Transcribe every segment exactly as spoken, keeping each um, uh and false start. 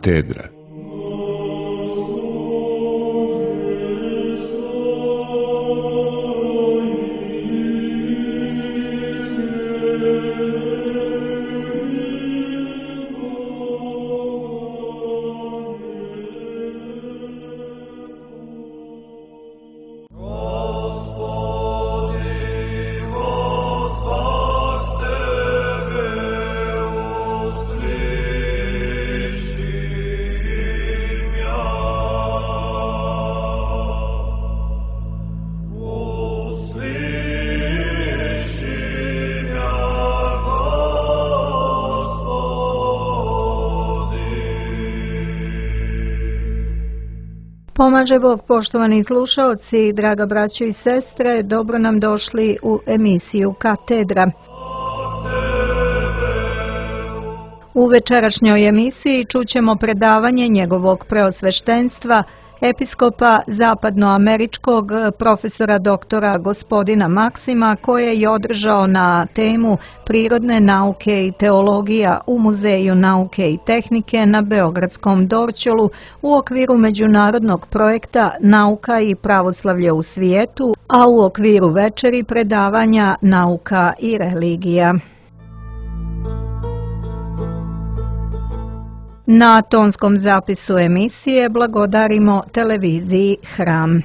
Katedra. Pomaže Bog, poštovani slušaoci, draga braćo i sestre, dobro nam došli u emisiju Katedra. U večerašnjoj emisiji čućemo predavanje njegovog preosveštenstva, episkopa zapadnoameričkog profesora doktora gospodina Maksima, koje je održao na temu Prirodne nauke i teologija u Muzeju nauke i tehnike na Beogradskom Dorćolu u okviru međunarodnog projekta Nauka i pravoslavlje u svijetu, a u okviru večeri predavanja Nauka i religija. Na tonskom zapisu emisije blagodarimo televiziji Hram.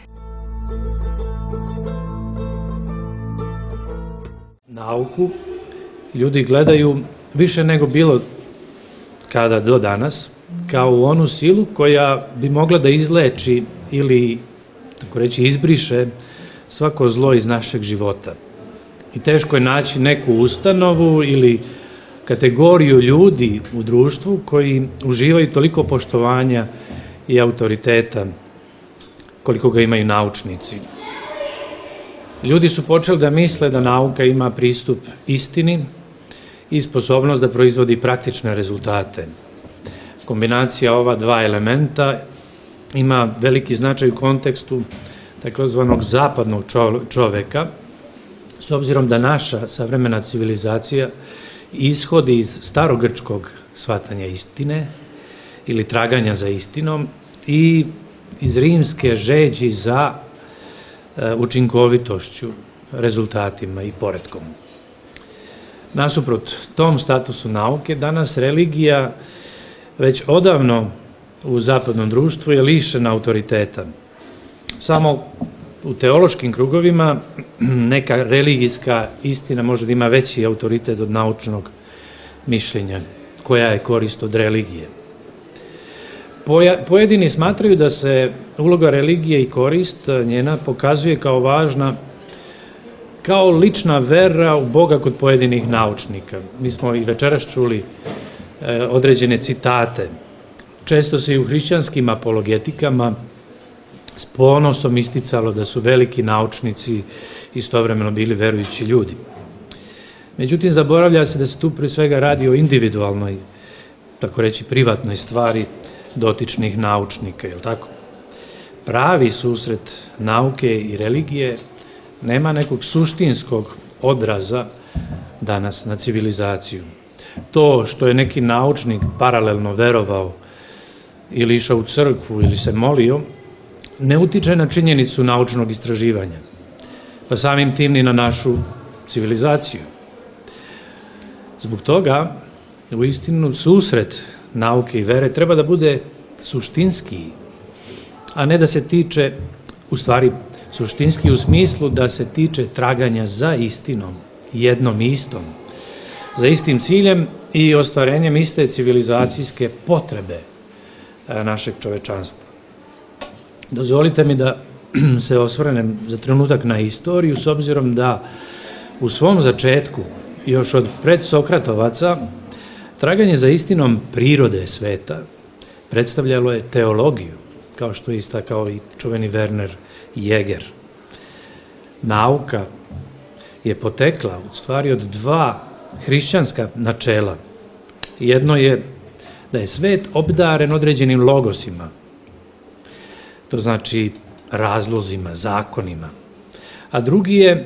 Nauku ljudi gledaju više nego bilo kada do danas, kao u onu silu koja bi mogla da izleči ili, tako reći, izbriše svako zlo iz našeg života. I teško je naći neku ustanovu ili kategoriju ljudi u društvu koji uživaju toliko poštovanja i autoriteta koliko ga imaju naučnici. Ljudi su počeli da misle da nauka ima pristup istini i sposobnost da proizvodi praktične rezultate. Kombinacija ova dva elementa ima veliki značaj u kontekstu takozvanog zapadnog čoveka, s obzirom da naša savremena civilizacija ishodi iz starogrčkog shvatanja istine ili traganja za istinom i iz rimske žeđi za učinkovitošću, rezultatima i poretkom. Nasuprot tom statusu nauke, danas religija već odavno u zapadnom društvu je lišena autoriteta. Samo u teološkim krugovima neka religijska istina može da ima veći autoritet od naučnog mišljenja, koja je korist od religije. Pojedini smatraju da se uloga religije i korist njena pokazuje kao važna, kao lična vera u Boga kod pojedinih naučnika. Mi smo i večeras čuli određene citate. Često se i u hrišćanskim apologetikama s ponosom isticalo da su veliki naučnici istovremeno bili verujući ljudi. Međutim, zaboravlja se da se tu pre svega radi o individualnoj, tako reći privatnoj stvari dotičnih naučnika, je li tako? Pravi susret nauke i religije nema nekog suštinskog odraza danas na civilizaciju. To što je neki naučnik paralelno verovao ili išao u crkvu ili se molio, ne utiče na činjenicu naučnog istraživanja, pa samim tim ni na našu civilizaciju. Zbog toga, u istinu, susret nauke i vere treba da bude suštinski, a ne da se tiče, u stvari, suštinski u smislu da se tiče traganja za istinom, jednom istom, za istim ciljem i ostvarenjem iste civilizacijske potrebe našeg čovečanstva. Dozvolite mi da se osvrnem za trenutak na istoriju, s obzirom da u svom začetku, još od predsokratovaca, traganje za istinom prirode sveta predstavljalo je teologiju, kao što je istakao i čuveni Werner Jäger. Nauka je potekla u stvari od dva hrišćanska načela. Jedno je da je svet obdaren određenim logosima, to znači razlozima, zakonima, a drugi je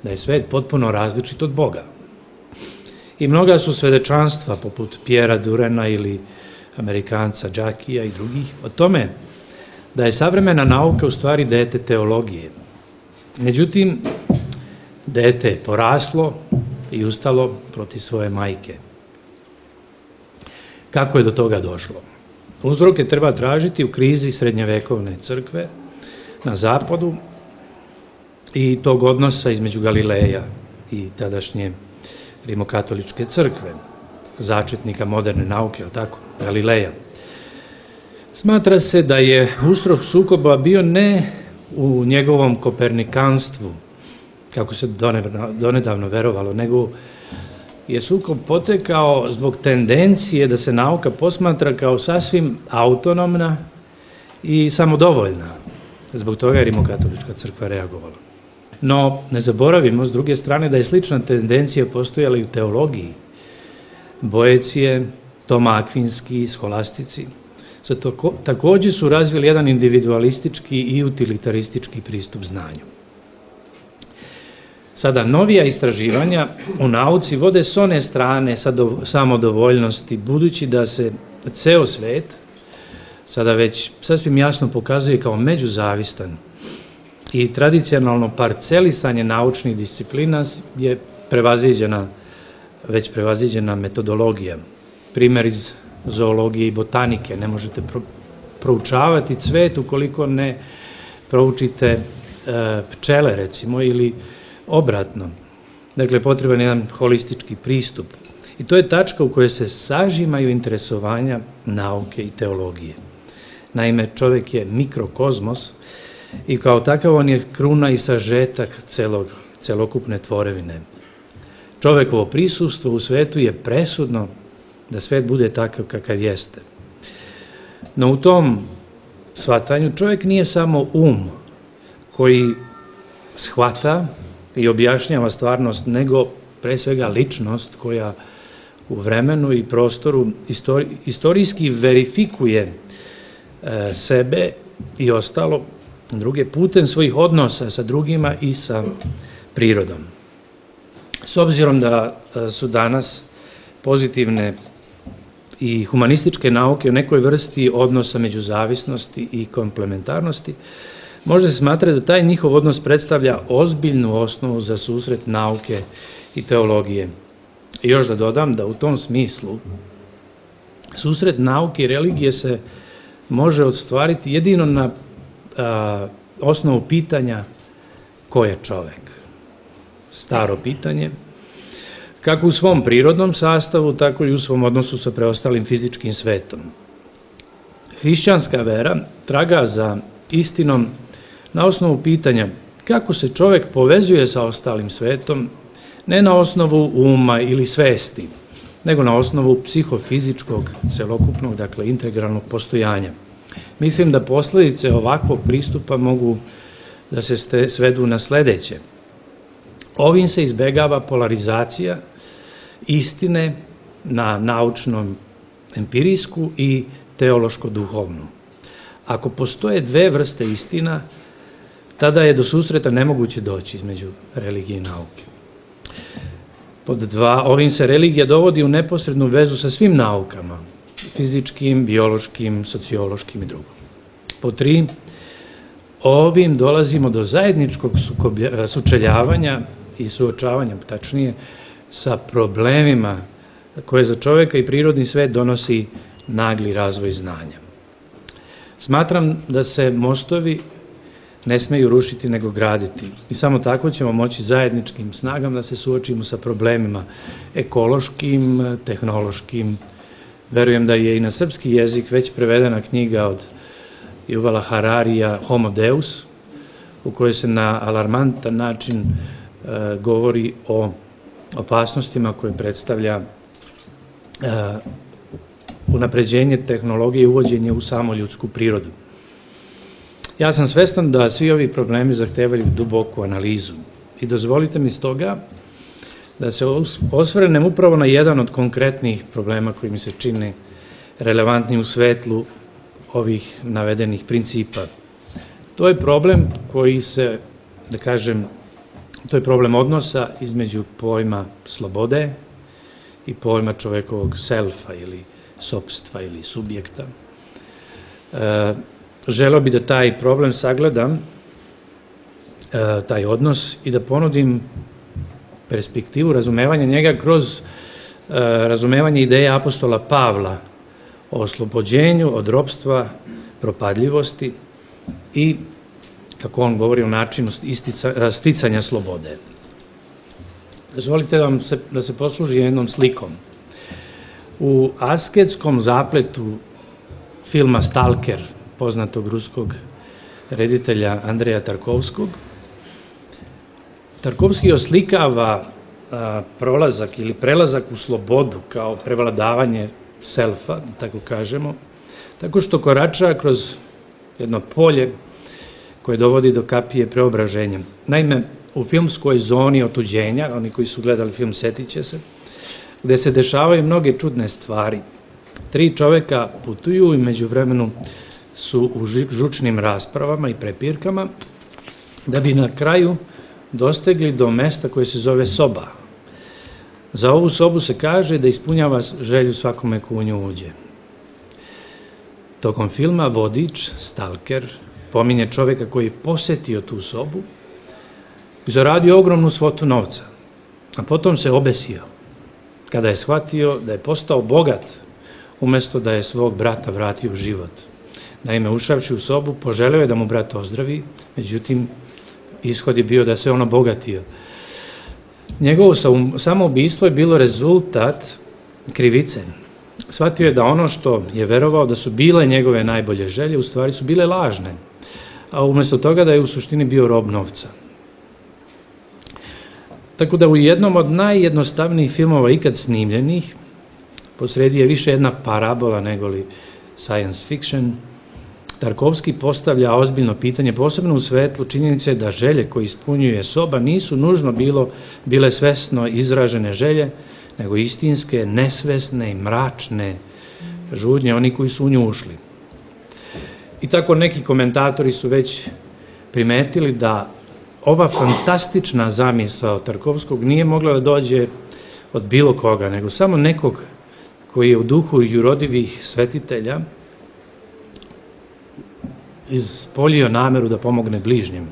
da je svet potpuno različit od Boga. I mnoga su svedočanstva, poput Pjera Durena ili Amerikanca Džakija i drugih, o tome da je savremena nauka u stvari dete teologije. Međutim, dete je poraslo i ustalo protiv svoje majke. Kako je do toga došlo? Uzroke treba tražiti u krizi srednjevekovne crkve na zapadu i tog odnosa između Galileja i tadašnje rimokatoličke crkve, začetnika moderne nauke, ali tako, Galileja. Smatra se da je uzrok sukoba bio ne u njegovom kopernikanstvu, kako se donedavno verovalo, nego je sukob potekao zbog tendencije da se nauka posmatra kao sasvim autonomna i samodovoljna. Zbog toga je rimokatolička crkva reagovala. No, ne zaboravimo, s druge strane, da je slična tendencija postojala i u teologiji. Boecije, Toma Akvinski, scholastici, također su razvili jedan individualistički i utilitaristički pristup znanju. Sada, novija istraživanja u nauci vode s one strane samodovoljnosti, budući da se ceo svet sada već sasvim jasno pokazuje kao međuzavistan i tradicionalno parcelisanje naučnih disciplina je prevaziđena, već prevaziđena metodologija. Primer iz zoologije i botanike, ne možete proučavati cvet ukoliko ne proučite pčele, recimo, ili obratno. Dakle, potreban je jedan holistički pristup. I to je tačka u kojoj se sažimaju interesovanja nauke i teologije. Naime, čovjek je mikrokozmos i kao takav on je kruna i sažetak celog, celokupne tvorevine. Čovjekovo prisustvo u svetu je presudno da svet bude takav kakav jeste. No u tom shvatanju čovjek nije samo um koji shvata i objašnjava stvarnost, nego pre svega ličnost koja u vremenu i prostoru istori, istorijski verifikuje e, sebe i ostalo druge putem svojih odnosa sa drugima i sa prirodom. S obzirom da su danas pozitivne i humanističke nauke u nekoj vrsti odnosa međuzavisnosti i komplementarnosti, može se smatrati da taj njihov odnos predstavlja ozbiljnu osnovu za susret nauke i teologije. I još da dodam da u tom smislu susret nauke i religije se može ostvariti jedino na a, osnovu pitanja ko je čovek. Staro pitanje, kako u svom prirodnom sastavu, tako i u svom odnosu sa preostalim fizičkim svetom. Hrišćanska vera traga za istinom na osnovu pitanja kako se čovek povezuje sa ostalim svetom, ne na osnovu uma ili svesti, nego na osnovu psihofizičkog, celokupnog, dakle integralnog postojanja. Mislim da posledice ovakvog pristupa mogu da se svedu na sledeće. Ovim se izbegava polarizacija istine na naučnom empirijsku i teološko-duhovnu. Ako postoje dve vrste istina, tada je do susreta nemoguće doći između religije i nauke. Pod dva, ovim se religija dovodi u neposrednu vezu sa svim naukama, fizičkim, biološkim, sociološkim i drugom. Pod tri, ovim dolazimo do zajedničkog sučeljavanja i suočavanja, tačnije, sa problemima koje za čoveka i prirodni svet donosi nagli razvoj znanja. Smatram da se mostovi ne smeju rušiti nego graditi i samo tako ćemo moći zajedničkim snagama da se suočimo sa problemima ekološkim, tehnološkim. Verujem da je i na srpski jezik već prevedena knjiga od Juvala Hararija Homo Deus, u kojoj se na alarmantan način e, govori o opasnostima koje predstavlja e, unapređenje tehnologije i uvođenje u samo ljudsku prirodu. Ja sam svestan da svi ovi problemi zahtevaju duboku analizu i dozvolite mi stoga da se osvrnem upravo na jedan od konkretnih problema koji mi se čine relevantni u svetlu ovih navedenih principa. To je problem koji se, da kažem, to je problem odnosa između pojma slobode i pojma čovekovog selfa ili sopstva ili subjekta. Želeo bi da taj problem sagledam, taj odnos, i da ponudim perspektivu razumevanja njega kroz razumevanje ideje apostola Pavla o oslobođenju od ropstva, propadljivosti i, kako on govori, o načinu sticanja slobode. Dozvolite da se posluži jednom slikom. U asketskom zapletu filma Stalker, poznatog ruskog reditelja Andreja Tarkovskog, Tarkovski oslikava prolazak ili prelazak u slobodu kao prevladavanje selfa, tako kažemo, tako što korača kroz jedno polje koje dovodi do kapije preobraženja. Naime, u filmskoj zoni otuđenja, oni koji su gledali film setit će se, gde se dešavaju mnoge čudne stvari. Tri čoveka putuju i međuvremenu su u žučnim raspravama i prepirkama, da bi na kraju dostegli do mesta koje se zove soba. Za ovu sobu se kaže da ispunjava želju svakome ko u nju uđe. Tokom filma vodič, stalker, pominje čoveka koji je posetio tu sobu i zaradio ogromnu svotu novca, a potom se obesio kada je shvatio da je postao bogat umesto da je svog brata vratio u život. Naime, ušavši u sobu, poželeo je da mu brat ozdravi, međutim, ishod je bio da se on obogatio. Njegovo samoubistvo je bilo rezultat krivice. Shvatio je da ono što je verovao da su bile njegove najbolje želje, u stvari su bile lažne, a umesto toga da je u suštini bio rob novca. Tako da u jednom od najjednostavnijih filmova ikad snimljenih, posredi je više jedna parabola nego li science fiction, Tarkovski postavlja ozbiljno pitanje, posebno u svetlu činjenice da želje koje ispunjuje soba nisu nužno bilo, bile svesno izražene želje, nego istinske, nesvesne i mračne žudnje, oni koji su u nju ušli. I tako neki komentatori su već primetili da ova fantastična zamisao Tarkovskog nije mogla da dođe od bilo koga, nego samo nekog koji je u duhu jurodivih svetitelja ispolio nameru da pomogne bližnjem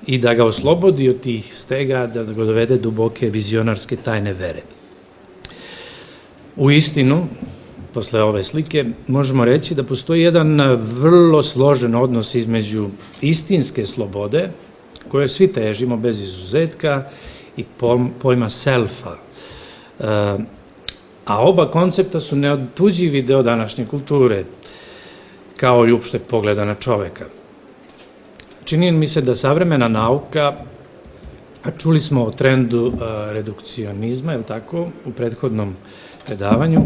i da ga oslobodi od tih stega, da ga dovede duboke vizionarske tajne vere. U istinu, posle ove slike, možemo reći da postoji jedan vrlo složen odnos između istinske slobode, koje svi težimo bez izuzetka, i pojma selfa. A oba koncepta su neotuđivi deo današnje kulture, kao i uopšte pogleda na čoveka. Čini mi se da savremena nauka, a čuli smo o trendu redukcionizma, je li tako, u prethodnom predavanju,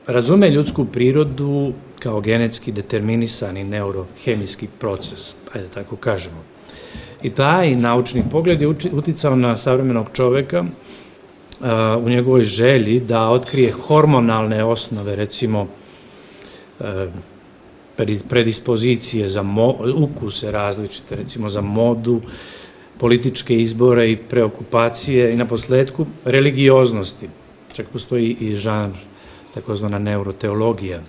razume ljudsku prirodu kao genetski determinisani neurohemijski proces, ajde tako kažemo. I taj naučni pogled je uticao na savremenog čoveka u njegovoj želji da otkrije hormonalne osnove, recimo predispozicije za ukuse različite, recimo za modu, političke izbore i preokupacije i na posledku religioznosti. Čak postoji i žanr, takozvana neuroteologija.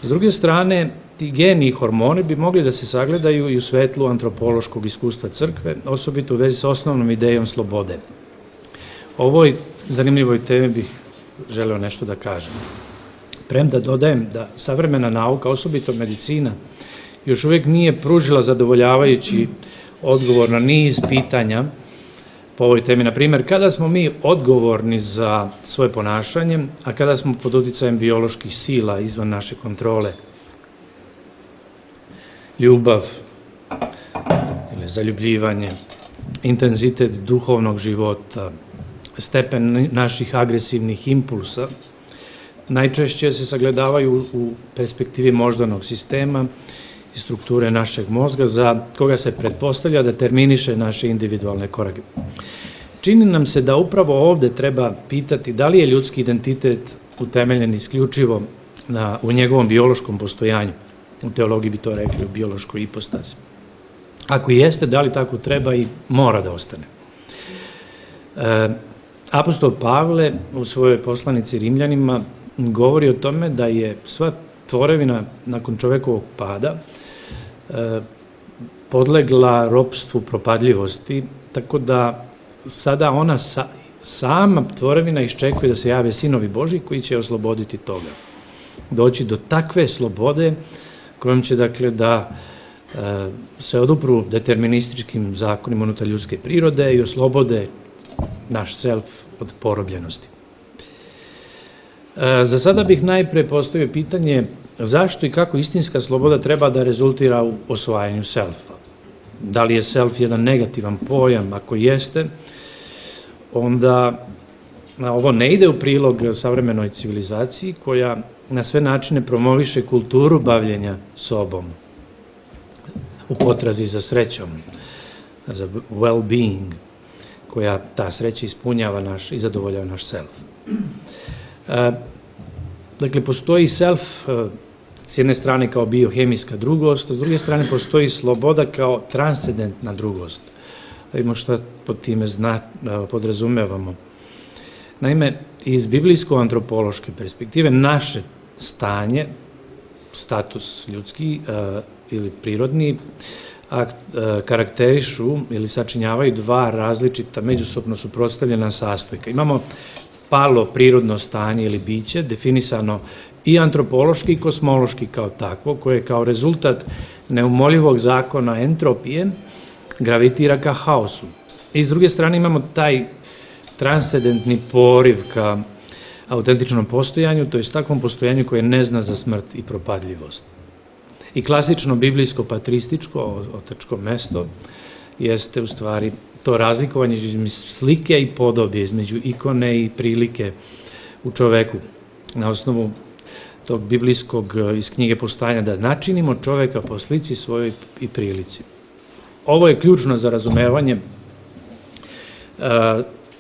S druge strane, ti geni i hormoni bi mogli da se sagledaju i u svetlu antropološkog iskustva crkve, osobito u vezi sa osnovnom idejom slobode. O ovoj zanimljivoj temi bih želeo nešto da kažem. Premda dodajem da savremena nauka, osobito medicina, još uvijek nije pružila zadovoljavajući odgovor na niz pitanja po ovoj temi. Na primjer, kada smo mi odgovorni za svoje ponašanje, a kada smo pod uticajem bioloških sila izvan naše kontrole. Ljubav ili zaljubljivanje, intenzitet duhovnog života, stepen naših agresivnih impulsa, najčešće se sagledavaju u perspektivi moždanog sistema i strukture našeg mozga, za koga se pretpostavlja da terminiše naše individualne korake. Čini nam se da upravo ovde treba pitati da li je ljudski identitet utemeljen isključivo u njegovom biološkom postojanju. U teologiji bi to rekli u biološkoj ipostazi. Ako jeste, da li tako treba i mora da ostane? Apostol Pavle u svojoj poslanici Rimljanima govori o tome da je sva tvorevina nakon čovekovog pada podlegla ropstvu propadljivosti, tako da sada ona sama tvorevina iščekuje da se jave sinovi Božji koji će osloboditi toga. Doći do takve slobode kojom će dakle da se odupru determinističkim zakonima unutar ljudske prirode i oslobode naš self od porobljenosti. Za sada bih najpre postavio pitanje zašto i kako istinska sloboda treba da rezultira u osvajanju selfa. Da li je self jedan negativan pojam? Ako jeste, onda ovo ne ide u prilog savremenoj civilizaciji koja na sve načine promoviše kulturu bavljenja sobom u potrazi za srećom, za well-being, koja ta sreća ispunjava naš i zadovoljava naš self. Dakle, postoji self s jedne strane kao biohemijska drugost, a s druge strane postoji sloboda kao transcendentna drugost. Vidimo šta pod time podrazumevamo. Naime, iz biblijsko-antropološke perspektive naše stanje, status ljudski ili prirodni, karakterišu ili sačinjavaju dva različita, međusobno suprotstavljena sastojka. Imamo palo prirodno stanje ili biće, definisano i antropološki i kosmološki kao takvo, koje kao rezultat neumoljivog zakona entropije gravitira ka haosu. I s druge strane imamo taj transcendentni poriv ka autentičnom postojanju, to je takvom postojanju koje ne zna za smrt i propadljivost. I klasično biblijsko-patrističko otačko mesto jeste u stvari to razlikovanje između slike i podobje, između ikone i prilike u čoveku. Na osnovu tog biblijskog iz knjige Postajanja da načinimo čoveka po slici svojoj i prilici. Ovo je ključno za razumevanje,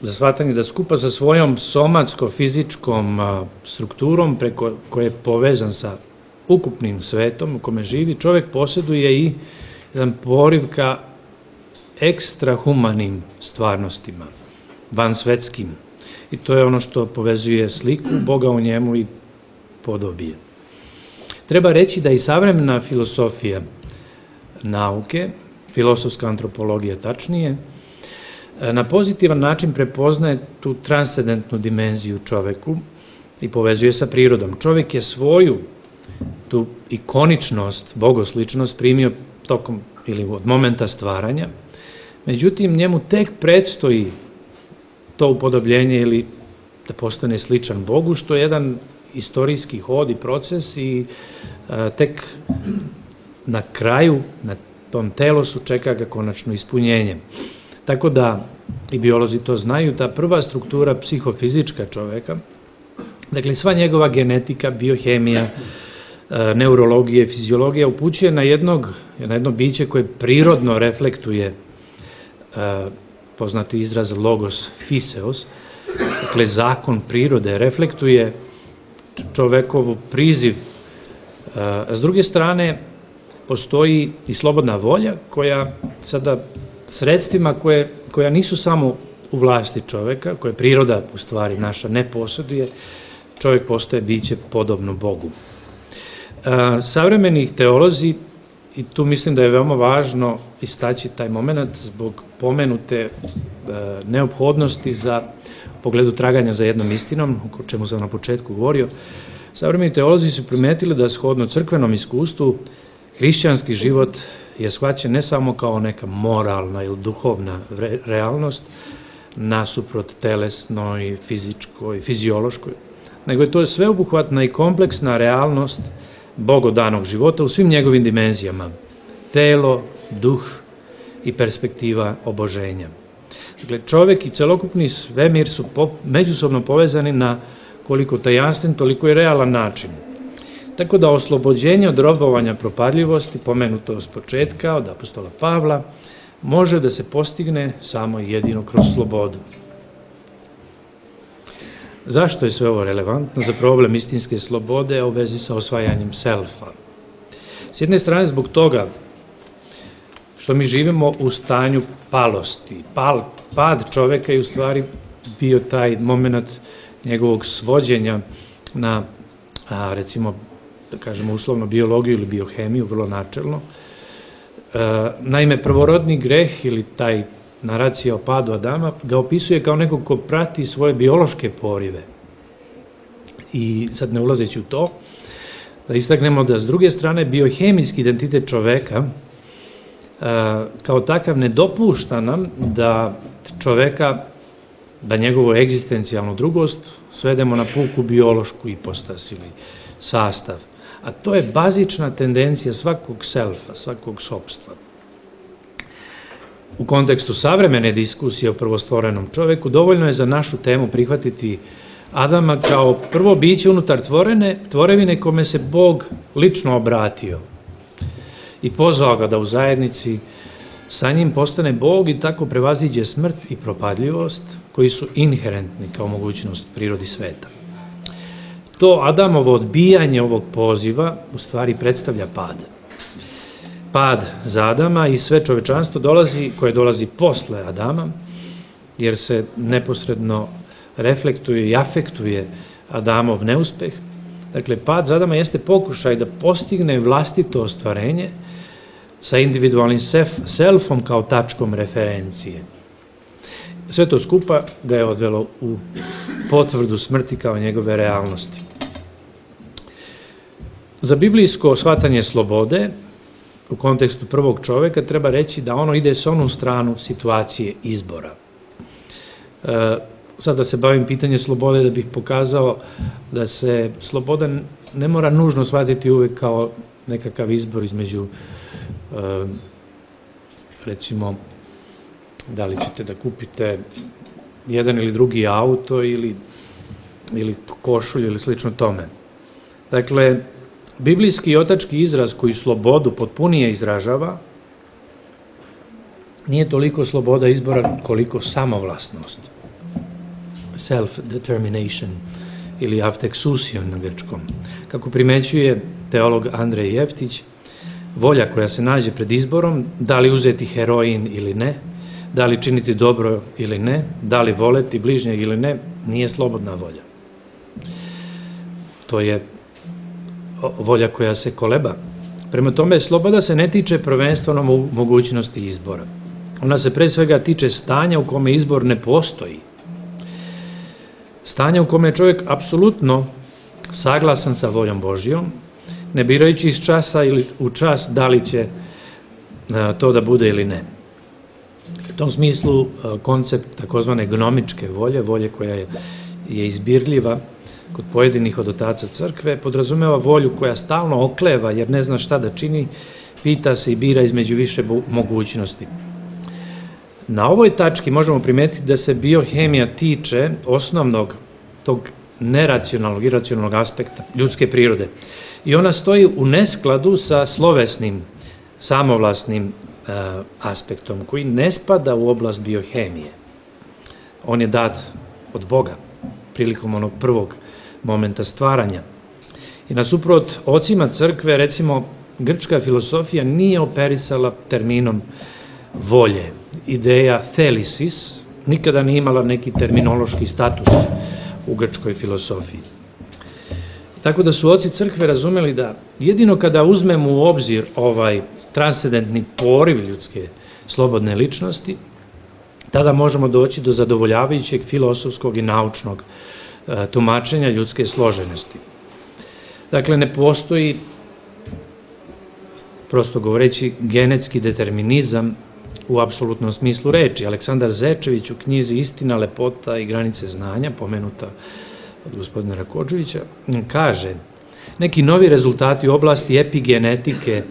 za shvatanje da skupa sa svojom somatsko-fizičkom strukturom preko koje je povezan sa ukupnim svetom u kome živi, čovek posjeduje i jedan poriv ka ekstrahumanim stvarnostima, vansvetskim. I to je ono što povezuje sliku Boga u njemu i podobije. Treba reći da i savremena filosofija nauke, filosofska antropologija tačnije, na pozitivan način prepoznaje tu transcendentnu dimenziju čoveku i povezuje sa prirodom. Čovek je svoju tu ikoničnost, bogosličnost primio tokom ili od momenta stvaranja, međutim njemu tek predstoji to upodobljenje ili da postane sličan Bogu, što je jedan istorijski hod i proces i tek na kraju, na tom telosu čeka ga konačno ispunjenje. Tako da, i biolozi to znaju, ta prva struktura psihofizička čoveka, dakle sva njegova genetika, biohemija, neurologija i fiziologija upućuje na jednog, na jedno biće koje prirodno reflektuje poznati izraz logos fiseos, dakle zakon prirode reflektuje čovekovu priziv. A s druge strane postoji i slobodna volja koja sada sredstvima koje, koja nisu samo u vlasti čoveka, koje priroda u stvari naša ne posjeduje, čovek postaje biće podobno Bogu. Savremeni teolozi, i tu mislim da je veoma važno istaći taj moment zbog pomenute neophodnosti za pogledu traganja za jednom istinom, o čemu sam na početku govorio, savremeni teolozi su primetili da shodno crkvenom iskustvu hrišćanski život je shvaćen ne samo kao neka moralna ili duhovna realnost nasuprot telesnoj, fizičkoj, fiziološkoj, nego je to sveobuhvatna i kompleksna realnost bogodanog života u svim njegovim dimenzijama, telo, duh i perspektiva oboženja. Dakle, čovek i celokupni svemir su međusobno povezani na koliko tajanstven, toliko i realan način. Tako da oslobođenje od robovanja propadljivosti, pomenuto s početka od apostola Pavla, može da se postigne samo i jedino kroz slobodu. Zašto je sve ovo relevantno za problem istinske slobode u vezi sa osvajanjem selfa? S jedne strane zbog toga što mi živimo u stanju palosti. Pal, pad čoveka je u stvari bio taj moment njegovog svođenja na a recimo, da kažemo uslovno, biologiju ili biohemiju, vrlo načelno. Naime, prvorodni greh ili taj naracija o padu Adama ga opisuje kao nekog ko prati svoje biološke porive. I sad ne ulazeći u to, da istaknemo da s druge strane biohemijski identitet čoveka kao takav ne dopušta nam da čoveka, da njegovu egzistencijalnu drugost svedemo na puku biološku ipostas ili sastav. A to je bazična tendencija svakog selfa, svakog sopstva. U kontekstu savremene diskusije o prvostvorenom čoveku dovoljno je za našu temu prihvatiti Adama kao prvo biće unutar tvorene, tvorevine kome se Bog lično obratio i pozvao ga da u zajednici sa njim postane Bog i tako prevaziđe smrt i propadljivost koji su inherentni kao mogućnost prirodi sveta. To Adamovo odbijanje ovog poziva u stvari predstavlja pad. Pad za Adama i sve čovečanstvo dolazi, koje dolazi posle Adama, jer se neposredno reflektuje i afektuje Adamov neuspeh. Dakle, pad za Adama jeste pokušaj da postigne vlastito ostvarenje sa individualnim selfom kao tačkom referencije. Sve to skupa ga je odvelo u potvrdu smrti kao njegove realnosti. Za biblijsko shvatanje slobode u kontekstu prvog čoveka treba reći da ono ide s onu stranu situacije izbora. E, sad da se bavim pitanje slobode da bih pokazao da se sloboda ne mora nužno shvatiti uvek kao nekakav izbor između e, recimo da li ćete da kupite jedan ili drugi auto ili, ili košulju ili slično tome. Dakle, biblijski i otački izraz koji slobodu potpunije izražava nije toliko sloboda izbora koliko samovlasnost. Self-determination ili avteksusion na grčkom. Kako primećuje teolog Andrej Jeftić, volja koja se nađe pred izborom, da li uzeti heroin ili ne, da li činiti dobro ili ne, da li voleti bližnjeg ili ne, nije slobodna volja. To je volja koja se koleba. Prema tome, sloboda se ne tiče prvenstveno mogućnosti izbora. Ona se pre svega tiče stanja u kome izbor ne postoji. Stanja u kome je čovjek apsolutno saglasan sa voljom Božjom, ne birajući iz časa ili u čas da li će to da bude ili ne. U tom smislu koncept takozvane gnomičke volje, volje koja je, je izbirljiva kod pojedinih od otaca crkve, podrazumeva volju koja stalno okleva jer ne zna šta da čini, pita se i bira između više mogućnosti. Na ovoj tački možemo primetiti da se biohemija tiče osnovnog tog neracionalnog, iracionalnog aspekta ljudske prirode. I ona stoji u neskladu sa slovesnim, samovlasnim e, aspektom koji ne spada u oblast biohemije. On je dat od Boga prilikom onog prvog momenta stvaranja. I nasuprot ocima crkve, recimo, grčka filosofija nije operisala terminom volje. Ideja thelisis nikada nije imala neki terminološki status u grčkoj filosofiji. Tako da su oci crkve razumeli da jedino kada uzmemo u obzir ovaj transcendentni poriv ljudske slobodne ličnosti, tada možemo doći do zadovoljavajućeg filosofskog i naučnog e, tumačenja ljudske složenosti. Dakle, ne postoji, prosto govoreći, genetski determinizam u apsolutnom smislu reči. Aleksandar Zečević u knjizi Istina, lepota i granice znanja, pomenuta od gospodina Rakodževića, kaže: neki novi rezultati u oblasti epigenetike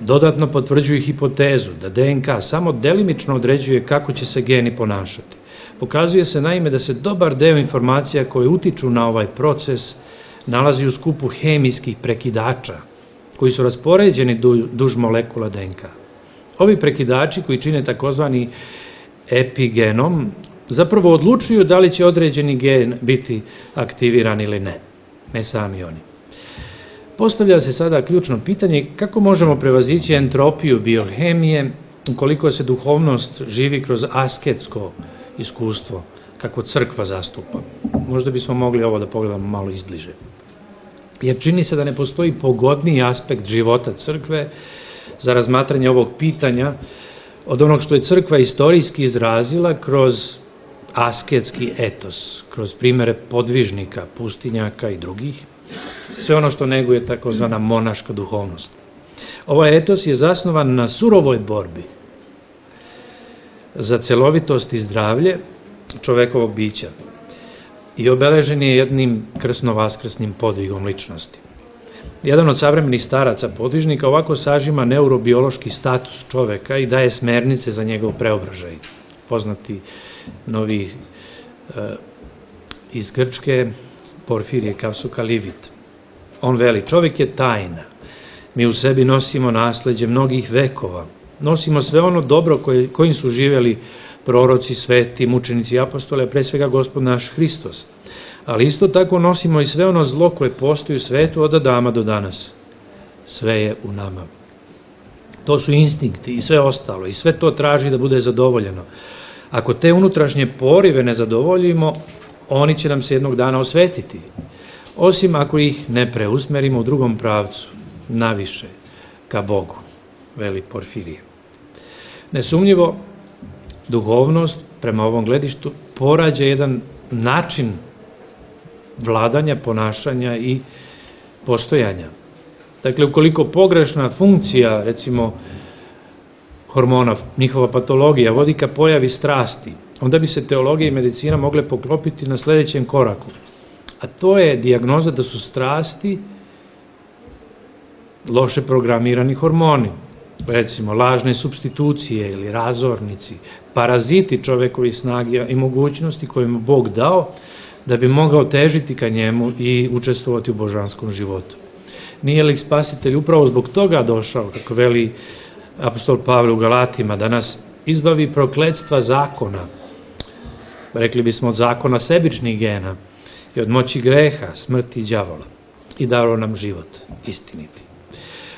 dodatno potvrđuju hipotezu da D N K samo delimično određuje kako će se geni ponašati. Pokazuje se naime da se dobar deo informacija koje utiču na ovaj proces nalazi u skupu hemijskih prekidača koji su raspoređeni duž molekula D N K. Ovi prekidači koji čine takozvani epigenom zapravo odlučuju da li će određeni gen biti aktiviran ili ne, ne sami oni. Postavlja se sada ključno pitanje kako možemo prevazići entropiju biohemije ukoliko se duhovnost živi kroz asketsko iskustvo, kako crkva zastupa. Možda bismo mogli ovo da pogledamo malo izbliže. jer čini se da ne postoji pogodniji aspekt života crkve za razmatranje ovog pitanja od onog što je crkva istorijski izrazila kroz asketski etos, kroz primere podvižnika, pustinjaka i drugih, sve ono što neguje takozvana monaška duhovnost. Ovaj etos je zasnovan na surovoj borbi za celovitost i zdravlje čovekovog bića i obeležen je jednim krsno-vaskrsnim podvigom ličnosti. Jedan od savremenih staraca podvižnika ovako sažima neurobiološki status čoveka i daje smernice za njegov preobražaj. Poznati novi e, iz Grčke Porfirije Kavsukalivit. On veli, čovek je tajna. Mi u sebi nosimo nasleđe mnogih vekova. Nosimo sve ono dobro koje, kojim su živjeli proroci, sveti, mučenici i apostoli, a pre svega Gospod naš Hristos. Ali isto tako nosimo i sve ono zlo koje postoji u svetu od Adama do danas. Sve je u nama. To su instinkti i sve ostalo i sve to traži da bude zadovoljeno. Ako te unutrašnje porive ne zadovoljimo, oni će nam se jednog dana osvetiti. Osim ako ih ne preusmerimo u drugom pravcu, naviše, ka Bogu, veli Porfirije. Nesumnjivo, duhovnost, prema ovom gledištu, porađa jedan način vladanja, ponašanja i postojanja. Dakle, ukoliko pogrešna funkcija, recimo, hormona, njihova patologija, vodi ka pojavi strasti, onda bi se teologija i medicina mogle poklopiti na sledećem koraku. A to je dijagnoza da su strasti loše programirani hormoni, recimo lažne supstitucije ili razornici, paraziti čovekovi snage i mogućnosti koje mu Bog dao da bi mogao težiti ka njemu i učestvovati u božanskom životu. Nije li Spasitelj upravo zbog toga došao, kako veli apostol Pavle u Galatima, da nas izbavi prokletstva zakona, rekli bismo od zakona sebičnih gena i od moći greha, smrti i đavola, i dao nam život istiniti.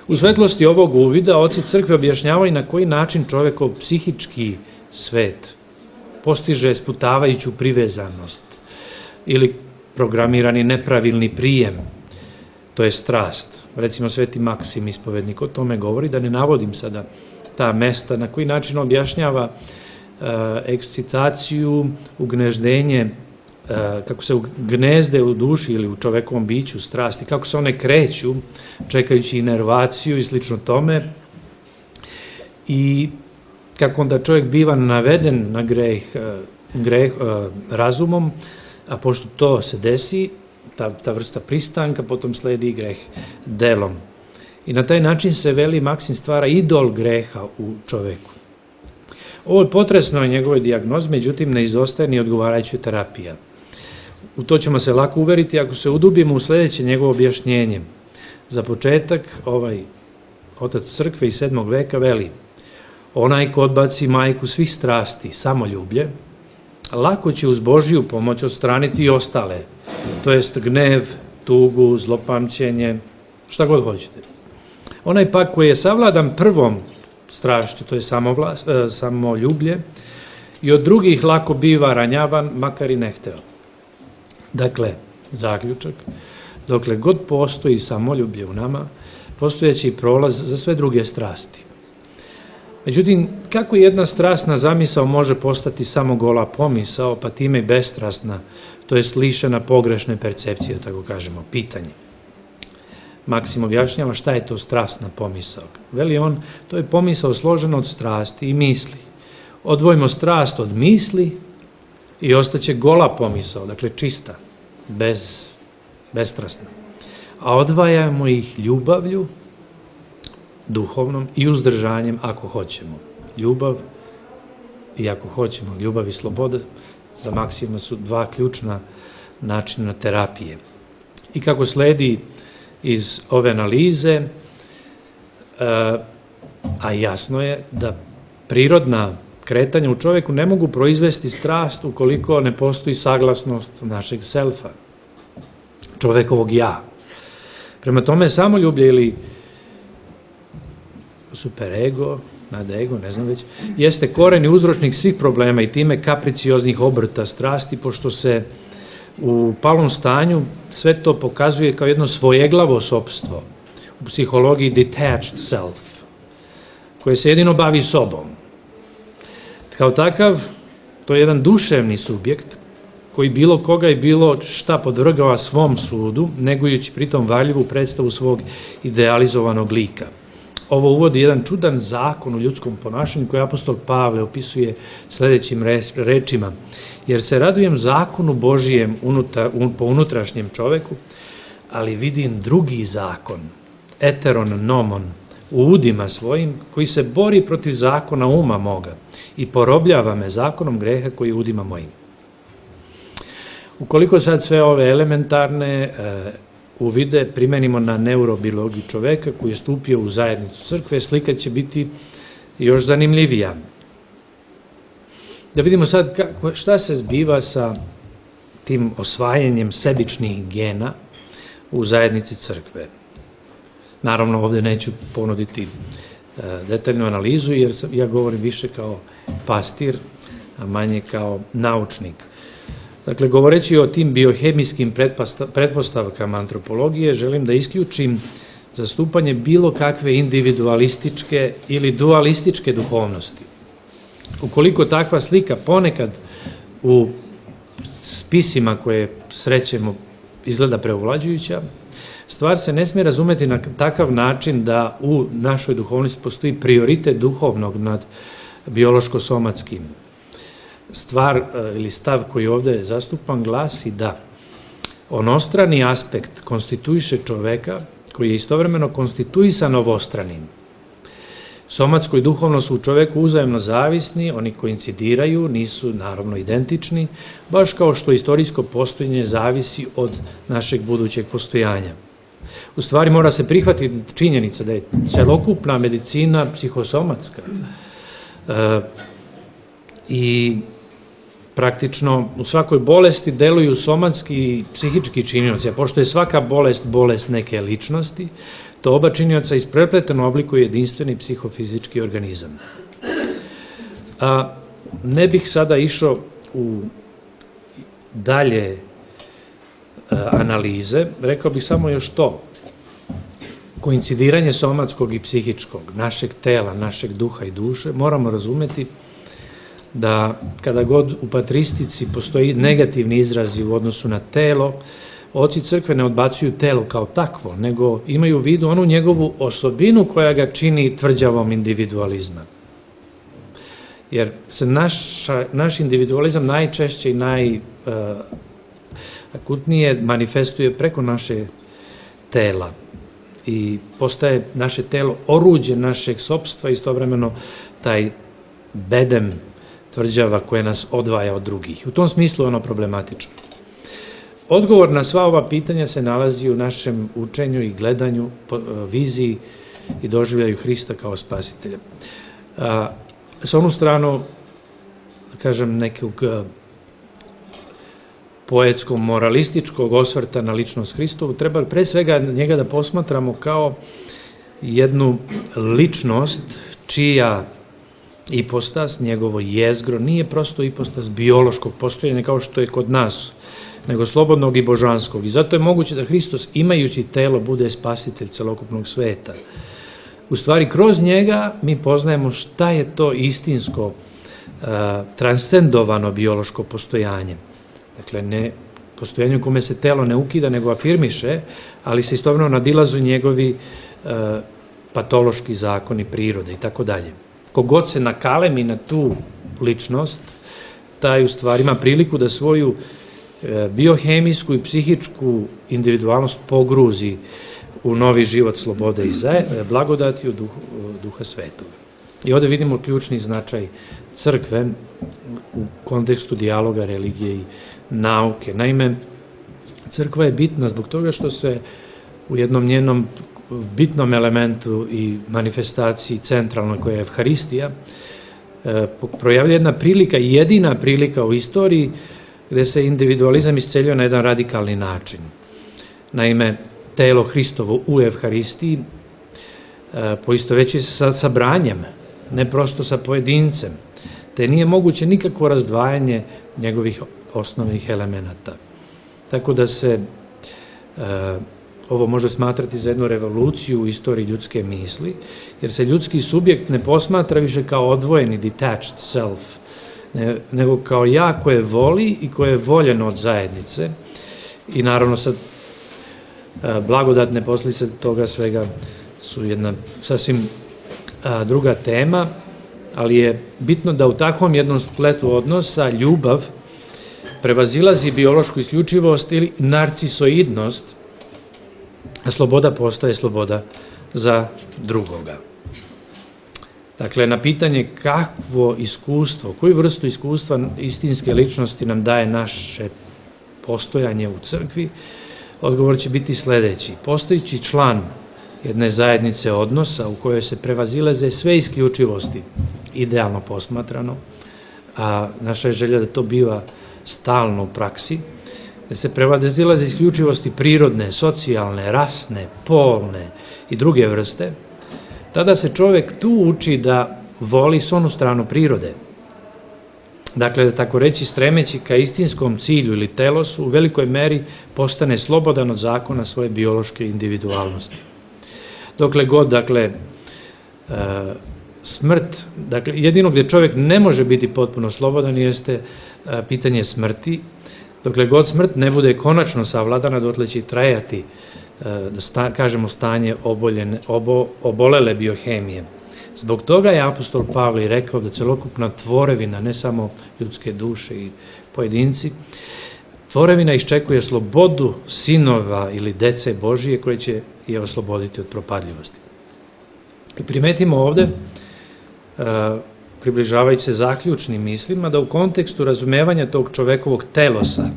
U svetlosti ovog uvida oci crkve objašnjavaju na koji način čovekov psihički svet postiže sputavajuću privezanost ili programirani nepravilni prijem, to je strast. Recimo sveti Maksim ispovednik o tome govori, da ne navodim sada ta mesta, na koji način objašnjava e, ekscitaciju, ugneždenje, e, kako se gnezde u duši ili u čovekovom biću strasti, kako se one kreću čekajući inervaciju i slično tome, i kako onda čovjek biva naveden na greh, greh razumom, a pošto to se desi, ta, ta vrsta pristanka, potom sledi greh delom. I na taj način se, veli Maksim, stvara idol greha u čoveku. Ovo je potresno je njegove dijagnoze, međutim ne izostaje ni odgovarajuća terapija. U to ćemo se lako uveriti ako se udubimo u sledeće njegovo objašnjenje. Za početak, ovaj otac crkve iz sedmog veka veli: onaj ko odbaci majku svih strasti, samoljublje, lako će uz Božiju pomoć odstraniti i ostale, to jest gnev, tugu, zlopamćenje, šta god hoćete. Onaj pak koji je savladan prvom strašću, to je samoljublje, i od drugih lako biva ranjavan, makar i ne hteo. Dakle, zaključak, dokle god postoji samoljublje u nama, postojeći prolaz za sve druge strasti. Međutim, kako jedna strasna zamisao može postati samo gola pomisao, pa time i bestrasna, to je lišena pogrešne percepcije, tako kažemo, pitanje. Maksim objašnjava šta je to strasna pomisao. Veli on, to je pomisao složena od strasti i misli. Odvojimo strast od misli i ostaće gola pomisao, dakle čista, bez, bestrasna. A odvajamo ih ljubavlju, duhovnom i uzdržanjem ako hoćemo. Ljubav i ako hoćemo, ljubav i sloboda za Maksima su dva ključna načina terapije. I kako sledi iz ove analize, a jasno je da prirodna kretanja u čoveku ne mogu proizvesti strast ukoliko ne postoji saglasnost našeg selfa, čovekovog ja. Prema tome, samoljublje ili superego, nadego, ne znam već, jeste koren i uzročnik svih problema i time kapricioznih obrta strasti, pošto se U palom stanju sve to pokazuje kao jedno svojeglavo sopstvo, u psihologiji detached self, koje se jedino bavi sobom. Kao takav, to je jedan duševni subjekt koji bilo koga i bilo šta podvrgava svom sudu, negujući pritom varljivu predstavu svog idealizovanog lika. Ovo uvodi jedan čudan zakon u ljudskom ponašanju koji apostol Pavle opisuje sledećim rečima: jer se radujem zakonu Božijem po unutrašnjem čoveku, ali vidim drugi zakon, eteron nomon, u udima svojim, koji se bori protiv zakona uma moga i porobljava me zakonom greha koji je u udima mojim. Ukoliko sad sve ove elementarne e, uvide primenimo na neurobiologiju čoveka koji je stupio u zajednicu crkve, slika će biti još zanimljivija. Da vidimo sad kako, šta se zbiva sa tim osvajanjem sebičnih gena u zajednici crkve. Naravno, ovde neću ponuditi e, detaljnu analizu, jer sam, ja govorim više kao pastir, a manje kao naučnik. Dakle, govoreći o tim biohemijskim pretpostavkama antropologije, želim da isključim zastupanje bilo kakve individualističke ili dualističke duhovnosti. Ukoliko takva slika ponekad u spisima koje srećemo izgleda preovlađujuća, stvar se ne smije razumeti na takav način da u našoj duhovnosti postoji prioritet duhovnog nad biološko-somatskim. Stvar ili stav koji ovde zastupan glasi da onostrani aspekt konstituiše čoveka koji je istovremeno konstituisan ovostranim. Somatsko i duhovno su u čoveku uzajemno zavisni, oni koincidiraju, nisu naravno identični, baš kao što istorijsko postojanje zavisi od našeg budućeg postojanja. U stvari mora se prihvatiti činjenica da je celokupna medicina psihosomatska e, i praktično u svakoj bolesti deluju somatski i psihički činioci, a pošto je svaka bolest bolest neke ličnosti, to oba činioca isprepleteno oblikuje jedinstveni psihofizički organizam. A, ne bih sada išao u dalje a, analize, rekao bih samo još to. Koincidiranje somatskog i psihičkog, našeg tela, našeg duha i duše, moramo razumeti da kada god u patristici postoji negativni izrazi u odnosu na telo, oci crkve ne odbacuju telo kao takvo, nego imaju u vidu onu njegovu osobinu koja ga čini tvrđavom individualizma. Jer se naša, naš individualizam najčešće i najakutnije manifestuje preko naše tela i postaje naše telo oruđe našeg sopstva, istovremeno taj bedem tvrđava koja nas odvaja od drugih. U tom smislu je ono problematično. Odgovor na sva ova pitanja se nalazi u našem učenju i gledanju, viziji i doživljaju Hrista kao spasitelja. S onu stranu, kažem, nekog poetskog, moralističkog osvrta na ličnost Hristovu, treba pre svega njega da posmatramo kao jednu ličnost čija ipostas, njegovo jezgro, nije prosto ipostas biološkog postojanja kao što je kod nas, nego slobodnog i božanskog. I zato je moguće da Hristos, imajući telo, bude spasitelj celokupnog sveta. U stvari, kroz njega mi poznajemo šta je to istinsko, transcendovano biološko postojanje. Dakle, ne postojanje u kome se telo ne ukida, nego afirmiše, ali se istovremeno nadilazu njegovi patološki zakoni prirode i tako dalje. Kogod se nakalemi na tu ličnost, taj u stvari ima priliku da svoju biohemijsku i psihičku individualnost pogruzi u novi život slobode i blagodati u duha svetoga. I ovde vidimo ključni značaj crkve u kontekstu dijaloga religije i nauke. Naime, crkva je bitna zbog toga što se u jednom njenom bitnom elementu i manifestaciji centralnoj koja je Evharistija projavlja jedna prilika, jedina prilika u istoriji gde se individualizam isceljio na jedan radikalni način. Naime, telo Hristovo u Evharistiji poistovećuje se sa sabranjem, ne prosto sa pojedincem, te nije moguće nikakvo razdvajanje njegovih osnovnih elemenata. tako da se ovo može smatrati za jednu revoluciju u istoriji ljudske misli, jer se ljudski subjekt ne posmatra više kao odvojeni, detached self, nego kao ja koje voli i koje je voljeno od zajednice. I naravno sad blagodatne posljedice toga svega su jedna sasvim druga tema, ali je bitno da u takvom jednom spletu odnosa ljubav prevazilazi biološku isključivost ili narcisoidnost, a sloboda postaje sloboda za drugoga. Dakle, na pitanje kakvo iskustvo, koju vrstu iskustva istinske ličnosti nam daje naše postojanje u crkvi, odgovor će biti sledeći. Postojići član jedne zajednice odnosa u kojoj se prevazilaze sve isključivosti, idealno posmatrano, a naša je želja da to biva stalno u praksi, da se prevazilaze isključivosti prirodne, socijalne, rasne, polne i druge vrste, tada se čovek tu uči da voli sonu stranu prirode. Dakle, da tako reći, stremeći ka istinskom cilju ili telosu, u velikoj meri postane slobodan od zakona svoje biološke individualnosti. Dokle god, dakle, smrt, dakle, jedino gde čovek ne može biti potpuno slobodan jeste pitanje smrti. Dokle god smrt ne bude konačno savladana, dotle će trajati, da kažemo, stanje obolele biohemije. Zbog toga je apostol Pavle rekao da celokupna tvorevina, ne samo ljudske duše i pojedinci, tvorevina iščekuje slobodu sinova ili dece Božije koje će je osloboditi od propadljivosti. I primetimo ovde, približavajući se zaključnim mislima, da u kontekstu razumevanja tog čovekovog telosa,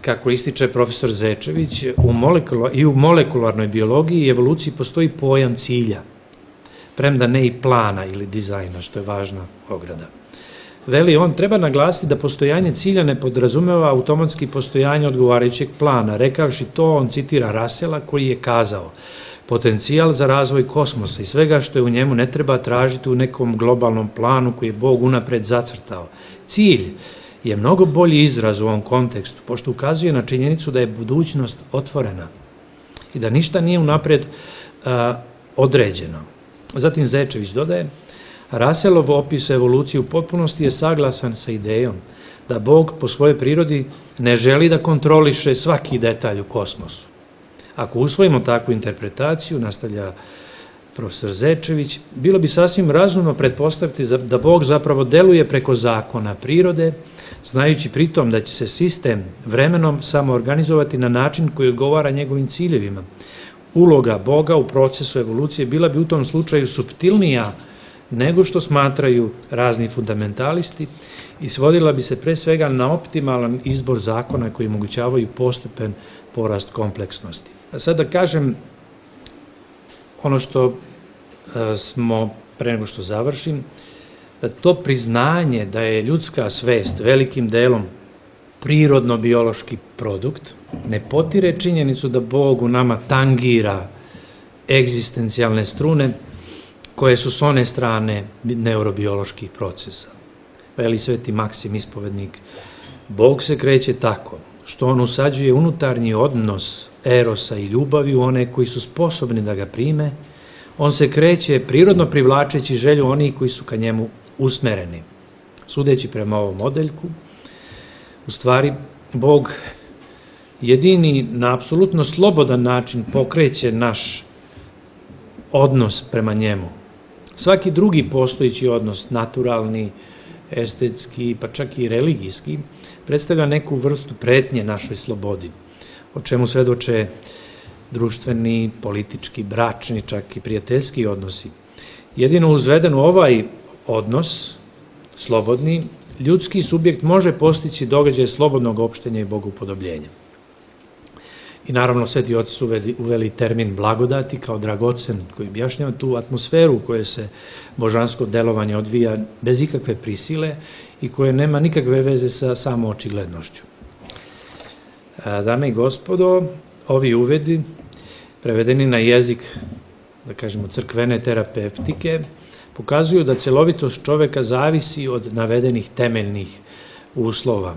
kako ističe profesor Zečević, i u molekularnoj biologiji i evoluciji postoji pojam cilja, premda ne i plana ili dizajna, što je važna ograda. Veli on, treba naglasiti da postojanje cilja ne podrazumeva automatski postojanje odgovarajućeg plana. Rekavši to, on citira Rasela koji je kazao: potencijal za razvoj kosmosa i svega što je u njemu ne treba tražiti u nekom globalnom planu koji je Bog unapred zacrtao. Cilj je mnogo bolji izraz u ovom kontekstu, pošto ukazuje na činjenicu da je budućnost otvorena i da ništa nije unapred određeno. Zatim Zečević dodaje: Russellov opis evolucije u potpunosti je saglasan sa idejom da Bog po svojoj prirodi ne želi da kontroliše svaki detalj u kosmosu. Ako usvojimo takvu interpretaciju, nastavlja profesor Zečević, bilo bi sasvim razumno pretpostaviti da Bog zapravo deluje preko zakona prirode, znajući pritom da će se sistem vremenom samo organizovati na način koji odgovara njegovim ciljevima. Uloga Boga u procesu evolucije bila bi u tom slučaju suptilnija nego što smatraju razni fundamentalisti i svodila bi se pre svega na optimalan izbor zakona koji omogućavaju postepen porast kompleksnosti. A sad da kažem ono što smo, pre nego što završim, da to priznanje da je ljudska svest velikim delom prirodno-biološki produkt ne potire činjenicu da Bog u nama tangira egzistencijalne strune koje su s one strane neurobioloških procesa. Veli sveti Maksim ispovednik: Bog se kreće tako što on usađuje unutarnji odnos erosa i ljubavi u one koji su sposobni da ga prime, on se kreće prirodno privlačeći želju onih koji su ka njemu usmereni. Sudeći prema ovom modeljku, u stvari, Bog jedini na apsolutno slobodan način pokreće naš odnos prema njemu. Svaki drugi postojići odnos, naturalni, estetski, pa čak i religijski, predstavlja neku vrstu pretnje našoj slobodi, o čemu svedoče društveni, politički, bračni, čak i prijateljski odnosi. Jedino uzveden u ovaj odnos, slobodni, ljudski subjekt može postići događaj slobodnog opštenja i bogopodobljenja. I naravno sveti oci su uveli termin blagodati kao dragocen, koji objašnjava tu atmosferu u kojoj se božansko delovanje odvija bez ikakve prisile i koje nema nikakve veze sa samo očiglednošću. Dame i gospodo, ovi uvedi, prevedeni na jezik, da kažemo, crkvene terapeutike, pokazuju da celovitost čoveka zavisi od navedenih temeljnih uslova.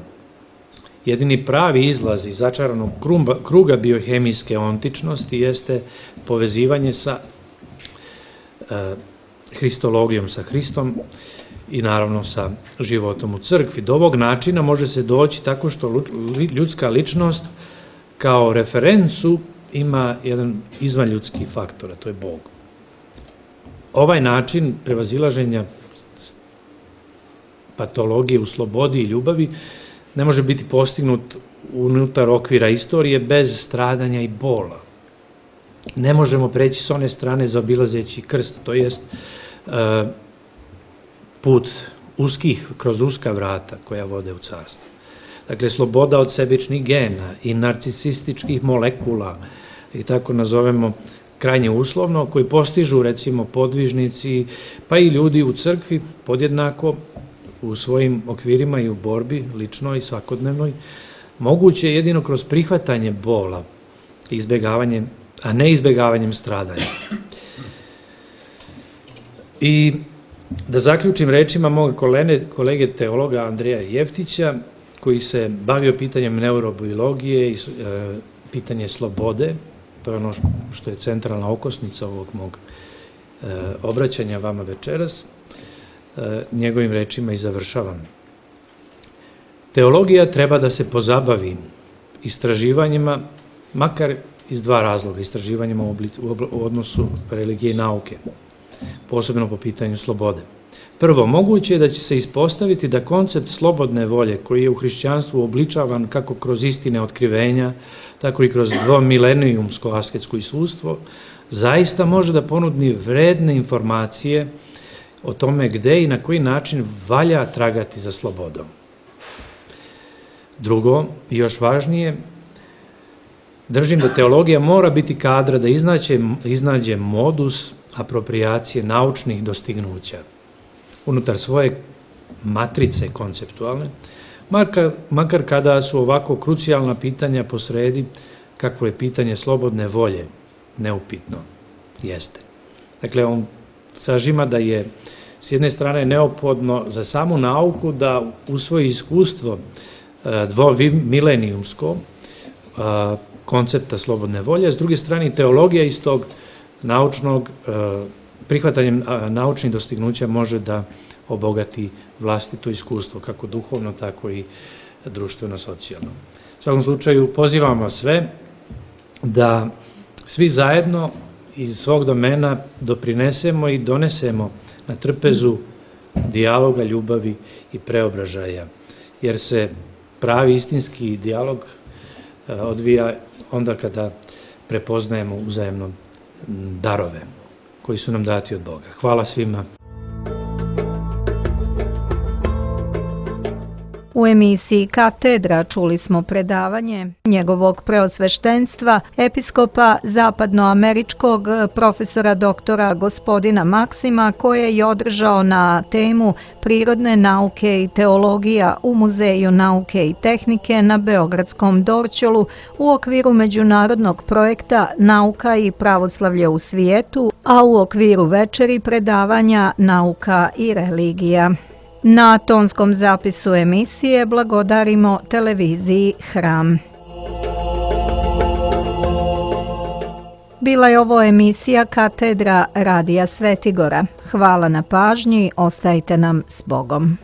jedini pravi izlaz iz začaranog kruga biohemijske ontičnosti jeste povezivanje sa hristologijom, sa Hristom i naravno sa životom u crkvi. Do ovog načina može se doći tako što ljudska ličnost kao referencu ima jedan izvanljudski faktor, a to je Bog. Ovaj način prevazilaženja patologije u slobodi i ljubavi ne može biti postignut unutar okvira istorije bez stradanja i bola. Ne možemo preći s one strane zaobilazeći krst, to jest put uskih, kroz uska vrata koja vode u carstvo. Dakle, sloboda od sebičnih gena i narcisističkih molekula, i tako nazovemo krajnje uslovno, koji postižu recimo podvižnici, pa i ljudi u crkvi podjednako u svojim okvirima i u borbi, ličnoj i svakodnevnoj, moguće je jedino kroz prihvatanje bola, izbegavanjem, a ne izbegavanjem stradanja. I da zaključim rečima mog kolege teologa Andreja Jeftića, koji se bavio pitanjem neurobiologije i pitanje slobode, to je ono što je centralna okosnica ovog mog obraćanja vama večeras, njegovim rečima i završavam. Teologija treba da se pozabavi istraživanjima, makar iz dva razloga, istraživanjima u odnosu religije i nauke, posebno po pitanju slobode. Prvo, moguće je da će se ispostaviti da koncept slobodne volje, koji je u hrišćanstvu obličavan kako kroz istine otkrivenja, tako i kroz dvomilenijumsko asketsko iskustvo, zaista može da ponudi vredne informacije o tome gde i na koji način valja tragati za slobodom. Drugo, i još važnije, držim da teologija mora biti kadra da iznađe modus apropriacije naučnih dostignuća unutar svoje matrice konceptualne, makar kada su ovako krucijalna pitanja posredi, kako je pitanje slobodne volje neupitno jeste. Dakle, on sažima da je s jedne strane neophodno za samu nauku da usvoji iskustvo dvomilenijumsko koncepta slobodne volje, a s druge strane teologija iz tog naučnog, prihvatanjem naučnih dostignuća može da obogati vlastito iskustvo, kako duhovno, tako i društveno-socijalno. U svakom slučaju, pozivam vas sve da svi zajedno iz svog domena doprinesemo i donesemo na trpezu dijaloga, ljubavi i preobražaja, jer se pravi istinski dijalog odvija onda kada prepoznajemo uzajemno darove koji su nam dati od Boga. Hvala svima. U emisiji Katedra čuli smo predavanje njegovog preosveštenstva, episkopa zapadnoameričkog profesora doktora gospodina Maksima, koje je održao na temu Prirodne nauke i teologija u Muzeju nauke i tehnike na Beogradskom Dorćolu u okviru međunarodnog projekta Nauka i pravoslavlje u svijetu, a u okviru večeri predavanja Nauka i religija. Na tonskom zapisu emisije blagodarimo televiziji Hram. Bila je ovo emisija Katedra Radija Svetigora. Hvala na pažnji, ostajte nam s Bogom.